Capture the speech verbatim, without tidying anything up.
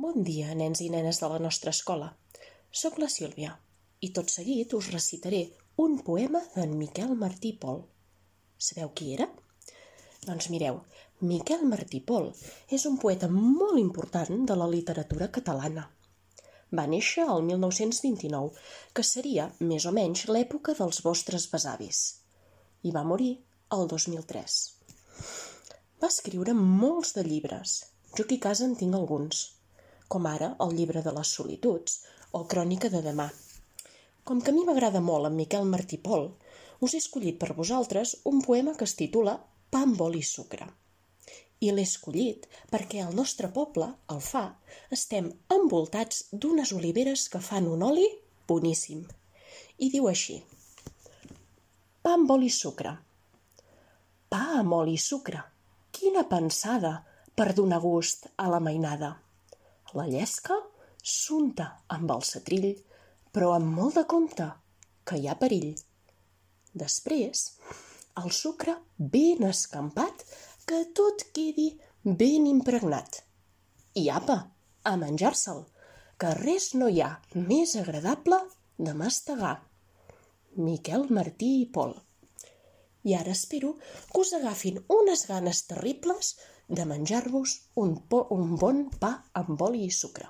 Bon dia, nens i nenes de la nostra escola. Soc la Sílvia i tot seguit us recitaré un poema d'en Miquel Martí i Pol. Sabeu qui era? Doncs mireu, Miquel Martí i Pol és un poeta molt important de la literatura catalana. Va néixer el mil nou-cents vint-i-nou, que seria més o menys l'època dels vostres besavis, i va morir el dos mil tres. Va escriure molts de llibres, jo aquí a casa en tinc alguns, com ara el llibre de les solituds o Crònica de demà. Com que a mi m'agrada molt en Miquel Martí i Pol, us he escollit per vosaltres un poema que es titula Pa amb oli i sucre. I l'he escollit perquè al nostre poble, al Fa, estem envoltats d'unes oliveres que fan un oli boníssim. I diu així: Pa amb oli i sucre. Pa amb oli i sucre. Quina pensada per donar gust a la mainada. La llesca s'unta amb el setrill, però amb molt de compte, que hi ha perill. Després, el sucre ben escampat, que tot quedi ben impregnat. I apa, a menjar-se'l, que res no hi ha més agradable de mastegar. Miquel Martí i Pol. I ara espero que us agafin unes ganes terribles de menjar-vos un, po- un bon pa amb oli i sucre.